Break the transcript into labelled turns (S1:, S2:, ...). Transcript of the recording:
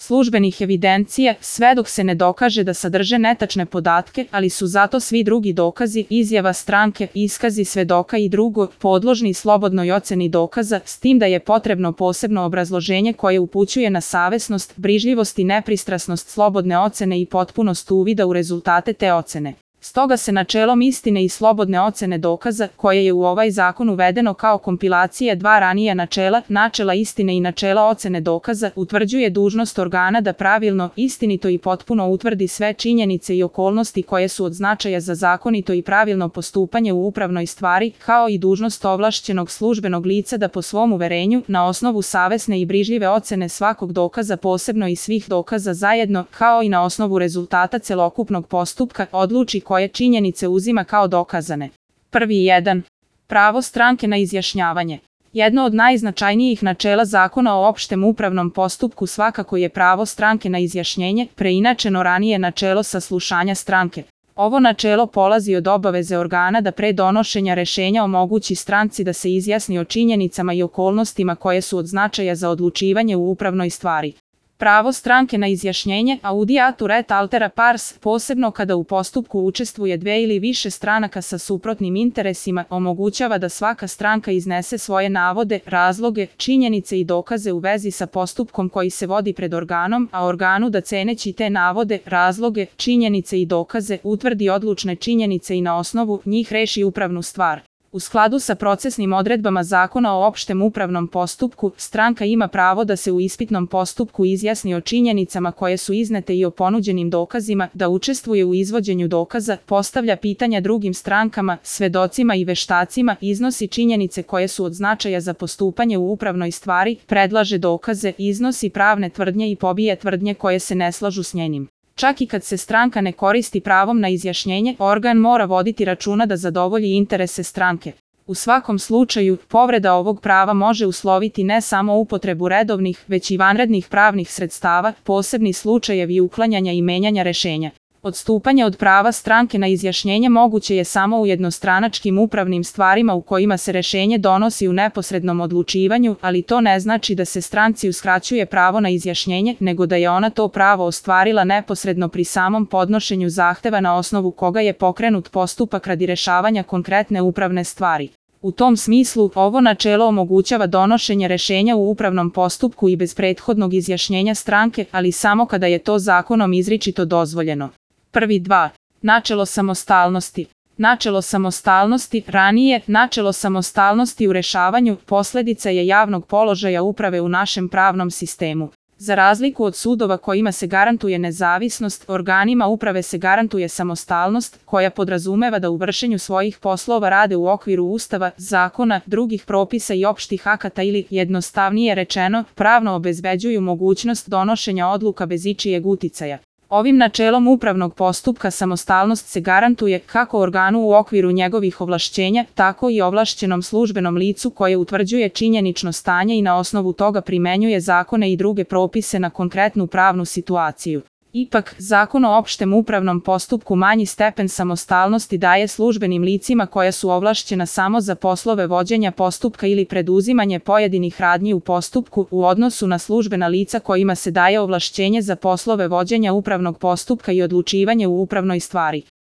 S1: službenih evidencija, sve dok se ne dokaže da sadrže netačne podatke, ali su zato svi drugi dokazi, izjava stranke, iskazi svedoka i drugo, podložni slobodnoj oceni dokaza, s tim da je potrebno posebno obrazloženje koje upućuje na savesnost, brižljivost i nepristrasnost slobodne ocene i potpunost uvida u rezultate te ocene. Stoga se načelom istine i slobodne ocene dokaza, koje je u ovaj zakon uvedeno kao kompilacija dva ranija načela, načela istine i načela ocene dokaza, utvrđuje dužnost organa da pravilno, istinito i potpuno utvrdi sve činjenice i okolnosti koje su od značaja za zakonito i pravilno postupanje u upravnoj stvari, kao i dužnost ovlašćenog službenog lica da po svom uverenju, na osnovu savesne i brižljive ocene svakog dokaza posebno i svih dokaza zajedno, kao i na osnovu rezultata celokupnog postupka, odluči koje činjenice uzima kao dokazane. Prvi 1. Pravo stranke na izjašnjavanje. Jedno od najznačajnijih načela Zakona o opštem upravnom postupku svakako je pravo stranke na izjašnjenje, preinačeno ranije načelo saslušanja stranke. Ovo načelo polazi od obaveze organa da pre donošenja rešenja omogući stranci da se izjasni o činjenicama i okolnostima koje su od značaja za odlučivanje u upravnoj stvari. Pravo stranke na izjašnjenje, audiatur et altera pars, posebno kada u postupku učestvuje dve ili više stranaka sa suprotnim interesima, omogućava da svaka stranka iznese svoje navode, razloge, činjenice i dokaze u vezi sa postupkom koji se vodi pred organom, a organu da ceneći te navode, razloge, činjenice i dokaze, utvrdi odlučne činjenice i na osnovu njih reši upravnu stvar. U skladu sa procesnim odredbama Zakona o opštem upravnom postupku, stranka ima pravo da se u ispitnom postupku izjasni o činjenicama koje su iznete i o ponuđenim dokazima, da učestvuje u izvođenju dokaza, postavlja pitanja drugim strankama, svedocima i veštacima, iznosi činjenice koje su od značaja za postupanje u upravnoj stvari, predlaže dokaze, iznosi pravne tvrdnje i pobije tvrdnje koje se ne slažu s njenim. Čak i kad se stranka ne koristi pravom na izjašnjenje, organ mora voditi računa da zadovolji interese stranke. U svakom slučaju, povreda ovog prava može usloviti ne samo upotrebu redovnih, već i vanrednih pravnih sredstava, posebni slučajevi uklanjanja i menjanja rešenja. Odstupanje od prava stranke na izjašnjenje moguće je samo u jednostranačkim upravnim stvarima u kojima se rešenje donosi u neposrednom odlučivanju, ali to ne znači da se stranci uskraćuje pravo na izjašnjenje, nego da je ona to pravo ostvarila neposredno pri samom podnošenju zahteva na osnovu koga je pokrenut postupak radi rešavanja konkretne upravne stvari. U tom smislu, ovo načelo omogućava donošenje rešenja u upravnom postupku i bez prethodnog izjašnjenja stranke, ali samo kada je to zakonom izričito dozvoljeno. Prvi 2. Načelo samostalnosti. Načelo samostalnosti, ranije, načelo samostalnosti u rešavanju, posledica je javnog položaja uprave u našem pravnom sistemu. Za razliku od sudova kojima se garantuje nezavisnost, organima uprave se garantuje samostalnost, koja podrazumeva da u vršenju svojih poslova rade u okviru Ustava, zakona, drugih propisa i opštih akata ili, jednostavnije rečeno, pravno obezbeđuju mogućnost donošenja odluka bez ičijeg uticaja. Ovim načelom upravnog postupka samostalnost se garantuje kako organu u okviru njegovih ovlašćenja, tako i ovlašćenom službenom licu koje utvrđuje činjenično stanje i na osnovu toga primenjuje zakone i druge propise na konkretnu pravnu situaciju. Ipak, Zakon o opštem upravnom postupku manji stepen samostalnosti daje službenim licima koja su ovlašćena samo za poslove vođenja postupka ili preduzimanje pojedinih radnji u postupku u odnosu na službena lica kojima se daje ovlašćenje za poslove vođenja upravnog postupka i odlučivanje u upravnoj stvari.